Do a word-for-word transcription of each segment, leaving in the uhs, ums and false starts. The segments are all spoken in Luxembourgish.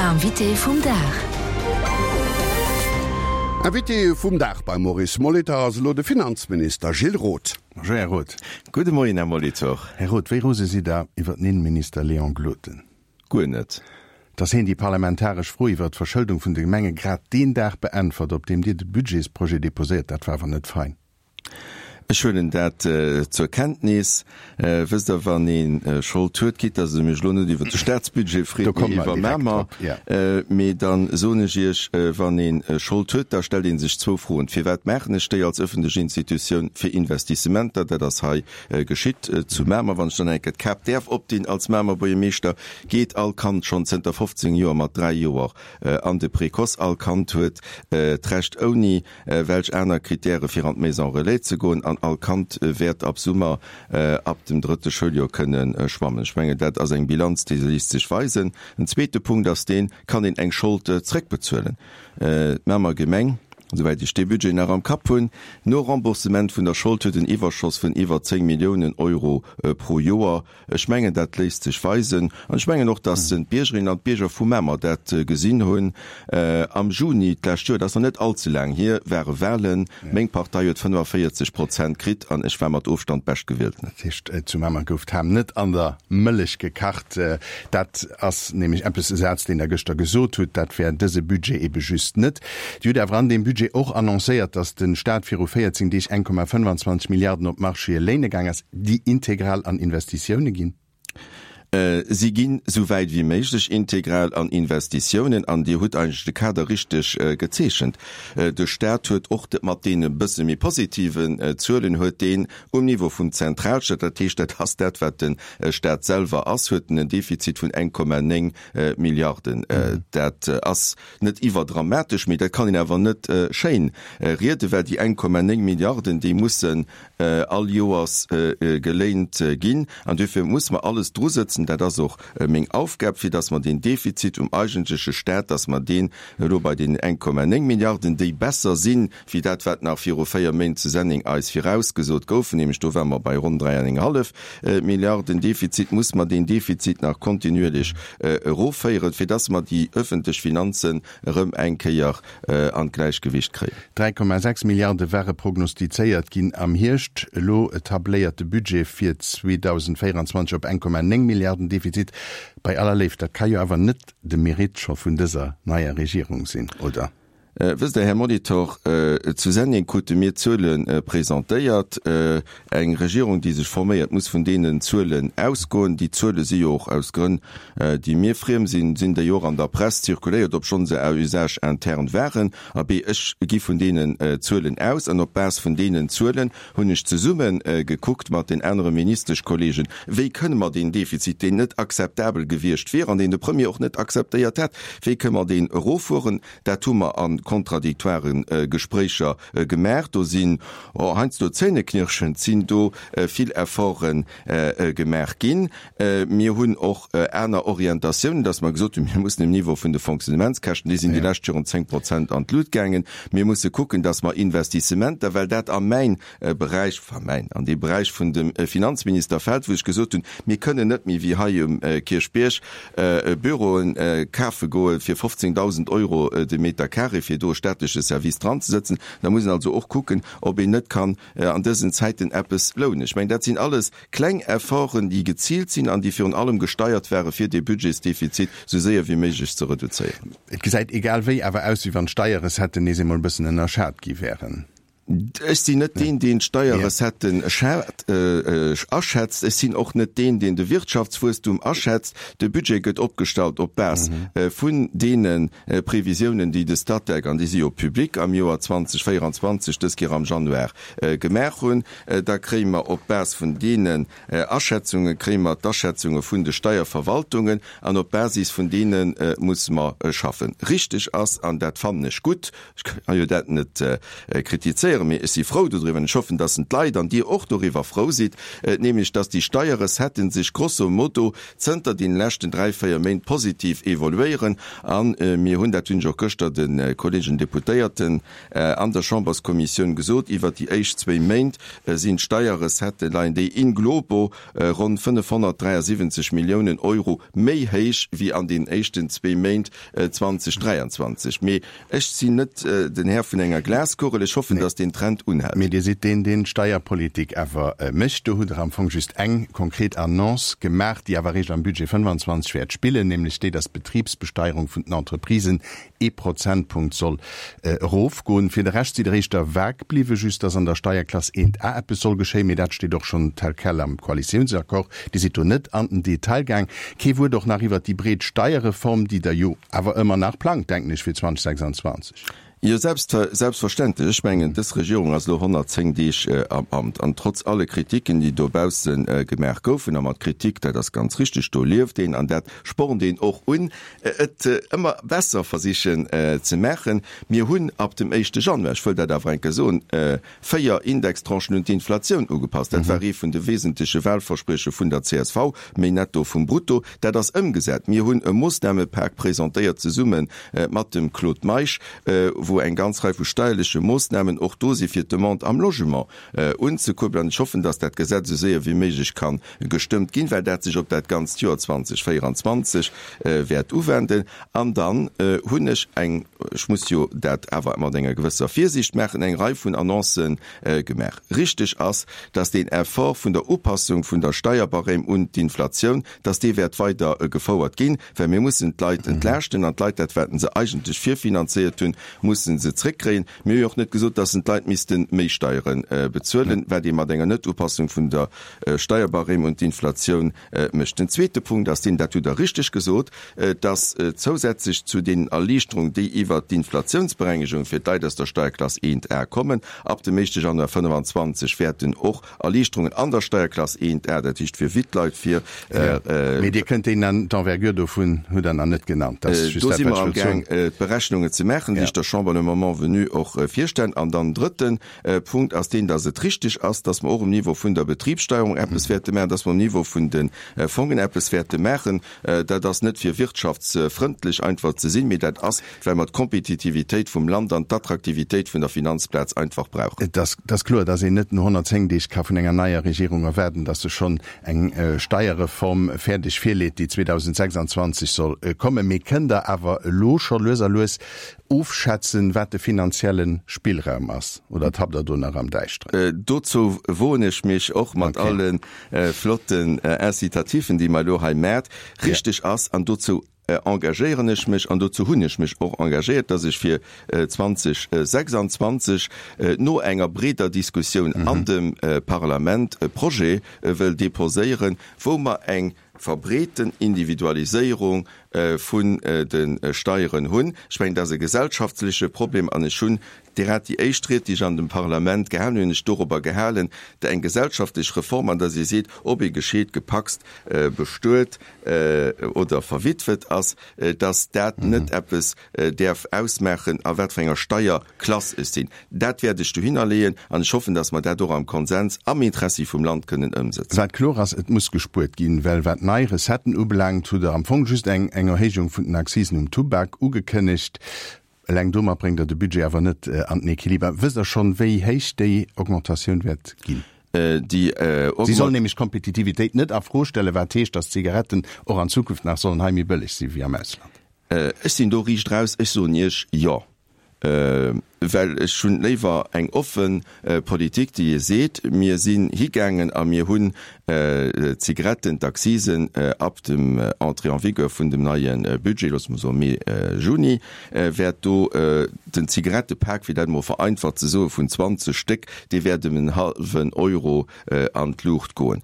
Invité vum Dag. Invité vum Dag beim Maurice Molitor ass elo de Finanzminister Gilles Roth. Bonjour Här Roth. Gudde Moien Här Molitor. Här Roth, wéi rose sidd Der iwwer den Innenminister Léon Gloden? Guer net. Dass hien déi parlamentaresch Fro iwwer d'Verschëldung vun de Gemenge grad deen Dag beäntwert, op deem Dir de Budgetsprojet deposéiert, dat war awer net fein. Ech huelen dat zur Kenntnis. Wësst Der, wann ee Schold huet, quitte dass Der mech elo net iwwert de Staatsbudget freet, mee iwwer Mamer, mee da soen ech Iech, wann ee Schold huet, da stellt ee sech zwou Froen, Firwat maachen ech déi als öffentlech Institutioun? Fir Investissementer, dat ass hei geschitt zu Mamer. Wann ech dann eng Kéier d'Kap däerf opdinn als Mamer Buergermeeschter, geet all Kand schonn zënter fofzéng Joer mat dräi Joer an de Précoce. All Kand huet d'Recht ouni welch aner Kritäre fir an d'Maison relais ze goen an all Kand wäert ab Summer ab dem drëtte Schouljoer kënne schwammen. Ech mengen, dat ass eng Bilanz, déi léisst sech weisen. En zweete Punkt ass deen, Kann een eng Schold zréckbezuelen? D'Mamer Gemeng, esouwäit ech dee Budget nach am Kapp hunn, no Remboursement vun der Schold huet en Iwwerschoss vun iwwer zéng Milliounen Euro pro Joer. Ech mengen, dat léisst sech weisen. An ech mengen och, dass d'Biergerinnen an d'Bierger vu Mamer dat gesinn hunn. Am Juni d'lescht Joer, dat ass nach net allze laang hier, ware Wahlen. Meng Partei huet fënnefaféierzeg Prozent kritt an ech war mat Ofstand Beschtgewielten. Dat heescht, zu Mamer gouf d'Ham net an der Mëllech gekacht. Dat ass nämlech eppes, e Saz, deen Der gëschter gesot hutt, dat wär dëse Budget ebe just net. Dir hutt awer an deem Budget och annoncéiert, dass de Staat viru véierzéng Deeg eng Komma fënnfanzwanzeg Milliarden op d'Marchéë léine gaang ass, déi integral an Investitioune ginn. Si ginn esou wäit wéi méiglech integral an Investitiounen an Dir hutt eigentlech de Kader richteg gezeechent. De Staat huet och mat deene bësse méi positiven Zuelen huet deen um Niveau vum Zentralstaat, dat heescht dat ass dat wat de Staat selwer ass, huet en en Defizit vun eng Komma néng Milliarden. Dat ass net iwwerdramatesch, mee dat kann een awer net schéin rieden, well déi eng Komma néng Milliarden, déi mussen all Joers geléint ginn. An duerfir muss mer alles drusëtzen, dat ass och meng Aufgab, fir datt mer deen Defizit um eigentleche Staat, datt mer deen elo bei deenen eng Komma néng Milliarden, déi besser sinn, wéi dat, wat nach viru véier Méint zu Senneng eis virausgesot gouf, nämlech do ware mer bei ronn dräi an eng hallef Milliarden Defizit, muss mer deen Defizit nach kontinuierlech erofféieren, fir datt mer déi öffentlech Finanzen erëm eng Kéier an d'Gläichgewicht kréien. Dräi Komma sechs Milliarde ware prognostizéiert ginn am Hierscht. Elo tabléiert de Budget fir zweedausendvéieranzwanzeg op eng Komma néng Milliarden Defizit. Bei aller Léift, dat ka jo awer net de Mérite scho vun dëser neier Regierung sinn, oder? Wësst Der, Här Molitor, zu Senneng krute mir Zuele presentéiert. Eng Regierung, déi sech forméiert, muss vun deenen Zuelen ausgoen. Déi Zuele si jo och, aus Grënn, déi mir friem sinn, sinn déi och an der Press zirkuléiert, obschonn se à usage interne waren. Abee, ech gi vun deenen Zuelen aus an op Base vun deenen Zuelen hunn ech zesumme gekuckt mat den anere Ministeschkollegen, wéi kënne mer deen Defizit, deen net akzeptabel gewiescht wier an deen de Premier och net akzeptéiert hätt, wéi kënne mer deen eroffueren. Dat hu mer a kontradiktoire Gespréicher gemaach. Do sinn heiansdo zähneknirschend sinn do vill Efforte gemaach ginn. Mir hunn och aner Orientatiounen, dass mer gesot hunn, mir mussen um Niveau vun de Fonctionnementskäschten, déi sinn déi lescht Joren zéng Prozent an d'Lut gaangen, mir musse kucken, dass mer Investissementer, well dat a mäin Beräich, enfin mäin, an dee Beräich vun dem Finanzminister fält, wou ech gesot hunn, mir kënnen net méi wéi hei um Kierchbierg Büroen kafe goe fir fofzéngdausend Euro de Meter carré, fir do e staatleche Service dranzesëtzen. Da muss een also och kucken, ob een net kann an dësen Zäiten eppes lounen. Ech mengen, dat sinn alles kleng Efforten, déi geziilt sinn an déi virun allem gesteiert ware fir dee Budgetsdefizit esou séier wéi méiglech ze reduzéieren. Et gesäit egal wéi awer aus, wéi wann d'Steierrecetten nees emol e bëssen ënnerschat gi wären. Ech sinn net deen, deen d'Steierrecetten aschätzt. Ech sinn och net deen, deen de Wirtschaftswuesstum aschätzt. De Budget gëtt opgestallt op Base vun deene Previsiounen, déi de Statec, an déi si jo public, am Joer zweedausendvéieranzwanzeg, dës Kéier am Januar, gemaach hunn. Da kréie mer op Base vun deenen Aschätzunge kréie mer d'Aschätzunge vun de Steierverwaltungen an op Basis vun deene musse mer schaffen. Richteg ass, an dat fannen ech gutt, ech ka jo dat net kritizéieren, presentéieren, mee ech si frou dodriwwer an ech hoffen, dass en d'Leit an Dir och doriwwer frou sidd, nämlech dass déi Steierrecetten sech grosso modo zënter deene leschten dräi, véier Méint positiv evoluéieren. A mir hunn, dat hunn ech och gëschter de Kollegen Deputéierten an der Chamberskommissioun gesot, iwwert déi éischt zwéi Méint sinn d'Steierrecetten, leien déi in globo ronn fënnefhonnertdräiasiwwenzeg Milliounen Euro méi héich wéi an deenen éischten zwee Méint zweitausenddräiundzwanzig. Mee ech sinn net den Här vun enger Glaskugel. Ech hoffen, dass deen Trend unhält. Mee Dir sidd deen, deen d'Steierpolitik awer mécht. Do hutt Der am Fong just eng konkret Annonce gemaach, déi awer eréischt am Budget fënnefanzwanzeg wäert spillen, nämlech déi, dass d'Betribsbesteierung vun den Entreprisen ee Prozentpunkt soll erofgoen. Fir de Rescht sidd Der éischter vag bliwwen, just dass an der Steierklass eent A eppes soll geschéien, mee dat steet och schonn tel quel am Koalitiounsaccord. Dir sidd do net an den Detail gaang. Kee Wuert och nach iwwert déi breet Steierreform, déi Der jo awer ëmmer nach plangt, denken ech, fir zweitausendsechsundzwanzeg. Jo, selbstverständlech. Ech mengen, dës Regierung ass elo honnertzéng Deeg am Amt. An trotz alle Kritiken, déi dobausse gemaach goufen, a mat Kritik, dat ass ganz richtig, do lieft een an dat spornt een och un, et ëmmer besser versichen ze maachen. Mir hunn ab dem éischte Januar, ech wëll dat awer eng Kéier soen, véier Indextranchen un d'Inflatioun ugepasst. Dat war ee vun de wesentleche Wahlversprieche vun der C S V, méi Netto vum Brutto. Dat ass ëmgesat. Mir hunn e Moossnamepak presentéiert zesumme mat dem Claude Meisch, wou eng ganz Rei vu steierleche Moossnamen och do si fir d'Demande am Logement unzekuerbelen. An ech hoffen, dass dat Gesetz esou séier wéi méiglech ka gestëmmt ginn, well dat sech op dat ganzt Joer zweitausendvéierundzwanzeg wäert uwenden. An dann hunn ech eng, ech muss jo dat awer mat enger gewësser Virsiicht maachen, eng Rei vun Annoncë gemaach. Richteg ass, dass deen Effort vun der Upassung vun der Steierbarème un d'Inflatioun, dass dee wäert weider gefouert ginn, well mir mussen d'Leit entlaaschten an d'Leit, dat wat se eigentlech virfinanzéiert hunn, mussen se zréckkréien. Mir hu jo och net gesot, dass d'Leit misste méi Steiere bezuelen, wat ee mat enger Net-Upassung vun der Steierbarème un d'Inflatioun mécht. Den zweete Punkt ass deen, dat hutt Der richteg gesot, dass zousätzlech zu deenen Erliichterungen, déi iwwert d'Inflatiounsberengegung fir d'Leit aus der Steierklass eent A kommen, ab dem éischte Januar fënnefan zwanzeg wäerten och Erliichterungen an der Steierklass eent A, dat heescht fir Wittleit, fir. Mee Dir kënnt déi d'Envergure dovun hutt Der nach net genannt. Dat ass just dat, wat ech wëllt soen. Do si mer amgaang, d'Berechnungen ze maachen, déi ech der Chamber le moment venu och virstellen. An dann drëtten Punkt ass deen, dass et richtig ass, dass mer och um Niveau vun der Betribssteuerung eppes wäerte maachen, dass mer um Niveau vun de Fongen eppes wäerte maachen. Dat ass net fir wirtschaftsfrëndlech einfach ze sinn, mee dat ass, well mer d'Kompetitivitéit vum Land an d'Attraktivitéit vun der Finanzplaz einfach brauchen. Et ass kloer, dass een net no honnertzéng Deeg ka vun enger neier Regierung erwaarden, dass se schonn eng Steierreform fäerdeg virleet, déi zweetausendsechsundzwanzeg soll kommen. Mee kënnt Der awer elo scho lues a lues ofschätzen, wat de finanzielle Spillraum ass, oder tappt Der do nach am Däischteren? Dozou woen ech mech och mat alle flotten Incitatifen, déi mer elo hei maacht. Richteg ass, an dozou engagéieren ech mech an dozou hunn ech mech och engagéiert, dass ech fir zweitausendsechsundzwanzeg no enger breeder Diskussioun an dem Parlament e Projet wëll déposéieren, wou mer eng verbreeten Individualiséierung vun de Steieren hunn. Ech mengen, dat ass e gesellschaftleche Problem an ech hunn direkt déi éischt Ried, déi ech an dem Parlament gehalen hunn, hunn ech dorobber gehalen, eng gesellschaftlech Reform, an der ee seet, ob ee gescheet, gepacst, bestuet oder verwitwet ass, dass dat net eppes däerf ausmaachen, a wat fir enger Steierklass ech sinn. Dat wäert ech dohinner leeën an ech hoffen, dass mer dat och am Konsens am Interessi vum Land kënnen ëmsetzen. Wat kloer ass, et muss gespuert ginn, well wat nei Recetten ubelaangt, hutt Der am Fong just eng Erhéijung vun den Akzisen um Tubak ugekënnegt. Eleng domat bréngt Der de Budget awer net an den Equiliber. Wësst Der schonn, wéi héich déi Augmentatioun wäert ginn? Déi Si soll nämlech d'Kompetitivitéit net a Fro stellen, wat heescht, datt d'Zigaretten och an Zukunft nach sollen hei méi bëlleg si wéi am Ausland. Ech sinn do riicht raus, ech soen Iech Jo, well ech hunn léiwer eng offe Politik, déi ee seet, mir sinn higaangen a mir hunn d'Zigaretten, d'Accisen ab dem Entrée en vigueur vun dem neie Budget, loosse mer soe Mee, Juni, wäert do den Zigarettepak, fir dat emol vereinfacht ze soen, vun zwanzeg Stéck, dee wäert ëm en hallwen Euro an d'Luucht goen.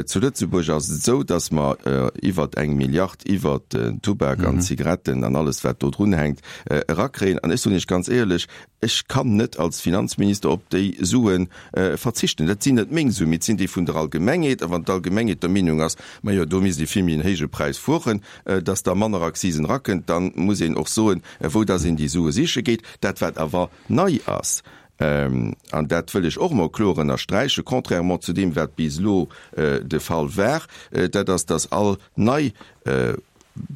Zu Lëtzebuerg ass et esou, datt mer iwwert eng Milliard iwwert den Tubak an d'Zigaretten an alles wat do drun hänkt erakréien. An ech soen Iech ganz éierlech, ech kann net als Finanzminister op déi Sue verzichten. Dat sinn net meng Suen, mee et sinn déi vun der Allgemengheet. A wann d'Allgemengheet der Meenung ass, majo do misst ee vill méi en héije Präis fueren, datt da manner Akzisen erakënnt, da muss een och soen, wou datt een déi Sue siche geet. Dat wat awer nei ass, An dat wëll ech och emol kloer ënnersträichen, contrairement zu deem, wat bis elo de Fall war, dat ass, dass all nei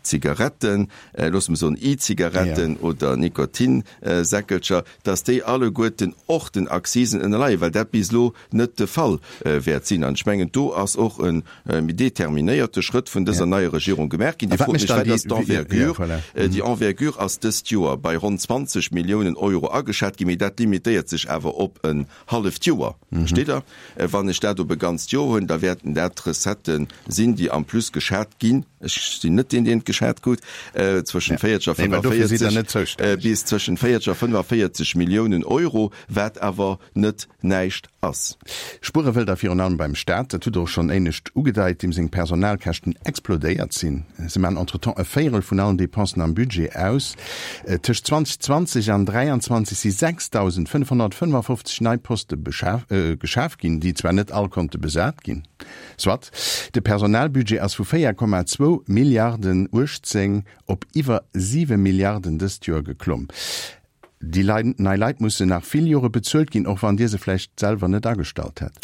Zigaretten, loosse mer soen E-Zigaretten oder Nikotinsäckelcher, dass déi alleguerten och den Akzisen ënnerleien, well dat bis elo net de Fall wäert sinn. An ech mengen, do ass och e méi determinéierte Schrëtt vun dëser neier Regierung gemaach ginn. Dir frot mech, wat ass d'Envergure? Déi Envergure ass dëst Joer bei ronn zwanzeg Milliounen Euro ageschat ginn, mee dat limitéiert sech awer op en halleft Joer. Versteet Der? Wann ech dat op e ganzt Joer hunn, da wäerten dat Recettë sinn, déi en plus geschat ginn. Ech sinn net deen, deen et geschat krut, zwëschen véierzeg a fënnefvéierzeg bis zwëschen véierzeg a fënnefvéierzeg Milliounen Euro, wat awer net näischt ass. Spuere wëllt Der virun allem beim Staat, dat hutt Der och schonn éinescht ugedeit, deem seng Personalkäschten explodéiert sinn. Se maachen entretemps e Véierel vun allen Dépensen am Budget aus. Tëscht zweitausendzwanzeg an dräianzwanzeg si sechstausendfënnfhonnertfënnefofzeg nei Poste geschaf ginn, déi zwar net all konnte besat ginn. Soit, de Personalbudget ass vu véier Komma zwou Milliarden uechtzéng op iwwer siwe Milliarden dëst Joer geklomm. Déi nei Leit mussen nach vill Jore bezuelt ginn, och wann Dir se vläicht selwer net agestallt hätt.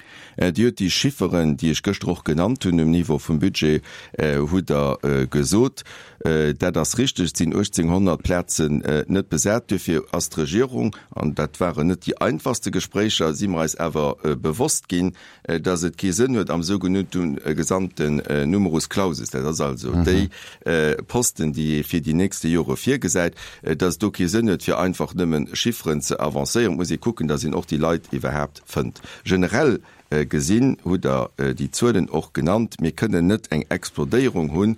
Dir hutt déi Chifferen, déi ech gëschter och genannt hunn, um Niveau vum Budget, hutt Der gesot. Dat ass richteg, et sinn uechtzénghonnert Plazen net besat. Duerfir ass d'Regierung, an dat waren net déi einfachste Gespréicher, si mer eis awer bewosst ginn, dass et kee Sënn huet am sougenannte gesamten Numerus clausus, dat ass also déi Posten, déi ee fir déi nächste Jore virgesäit, dass et do kee Sënn huet, fir einfach nëmme Chifferen ze avancéieren. Et muss ee kucken, dass een och déi Leit iwwerhaapt fënnt. Generell gesinn hutt Der déi Zuelen och genannt. Mir kënnen net eng Explodéierung hu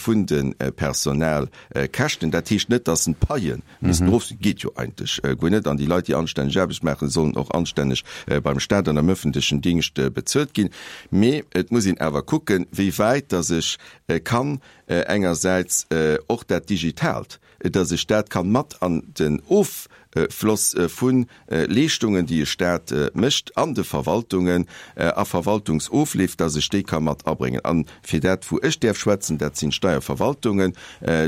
vun de Personalkäschten. Dat heescht net, dass d'Paie missten erof sinn. Geet jo eigentlech guer net. An déi Leit, déi anstänneg Aarbecht maachen, sollen och anstänneg beim Staat an am öffentlechen Dingscht bezuelt ginn. Mee et muss een awer kucken, wéi wäit dass ech kann engersäits och dat Digitaalt, dass ech dat kann mat an den Offloss vu Leeschtungen, déi e Staat mécht an de Verwaltungen a Verwaltungsofleef, dass ech déi ka mat abréngen. A fir dat, wou ech däerf schwätzen, dat sinn d'Steierverwaltungen,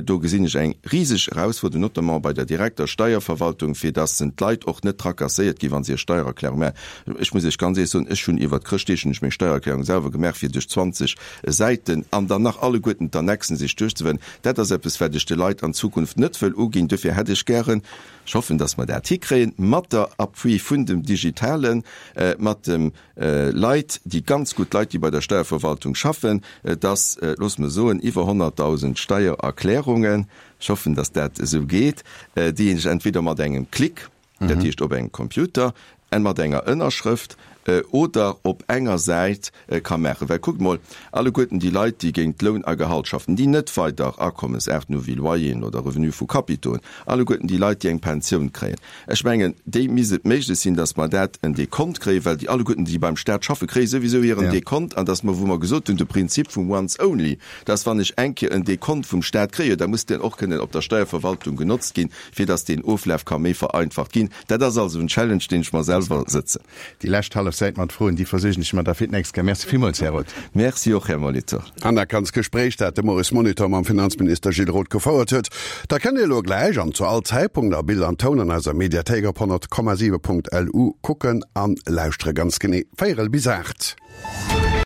do gesinn ech eng riseg Erausfuerderung, notamment bei der direkter Steierverwaltung, fir dass d'Leit och net tracasséiert ginn, wa se hir Steiererklärung maachen. Ech muss Iech ganz éierlech soen, ech hunn iwwert Chrëschtdeeg hunn ech meng Steiererklärung selwer gemaach, fir duerch zwanzeg Säiten an dann nach alleguerten d'Annexen sech duerchzewënnen. Dat ass eppes, wat ech de Leit an Zukunft net wëll uginn. Duerfir hätt ech gären, ech hoffen, dass mer dat hikréien, mat der Appui vun dem Digitalen, mat de Leit, déi ganz gutt Leit, déi bei der Steierverwaltung schaffen, dass, loosse mer soen, iwwer honnertdausend Steiererklärungen, ech hoffen, dass dat esou geet, déi een sech entweder mat engem Klick, dat heescht op engem Computer, en mat enger Ënnerschrëft oder op enger Säit ka maachen. Well kuckt mol, alleguerten déi Leit, déi géint Loun a Gehalt schaffen, déi net weider Akommensaarten hu wéi Loyeren oder Revenue vu Capitaux hunn, alleguerten déi Leit, déi eng Pensioun kréien, ech mengen, déi misst et méiglech sinn, datt mer dat en Dekont kréien, well déi alleguerten, déi beim Stat schaffen, kréie souwisou hiren Dekont, an datt mer, wou mer gesot hunn, de Prinzip vum once only, datt wann ech eng Kéier en Dekont vum Stat kréien, da muss deen och kënnen op der Steierverwaltung genotzt ginn, fir datt deen Oflaf ka méi vereinfacht ginn. Dat ass also en Challenge, deen ech mer selwer sëtzen. Déi lescht hallef Säit mat Froen, déi versuergen ech mer da fir d'nächst Kéier. Merci villmools, Här Roth. Merci och, Här Molitor. An dat ganz Gespréich, dat de Maurice Molitor mam Finanzminister Gilles Roth gefouert huet, dat kënnt Dir elo gläich an zu all Zäitpunkt a Bild an Toun an eiser Mediathéik op honnert Komma siwe Punkt L U kucken an lauschtere. Ganz genee véierel bis aacht.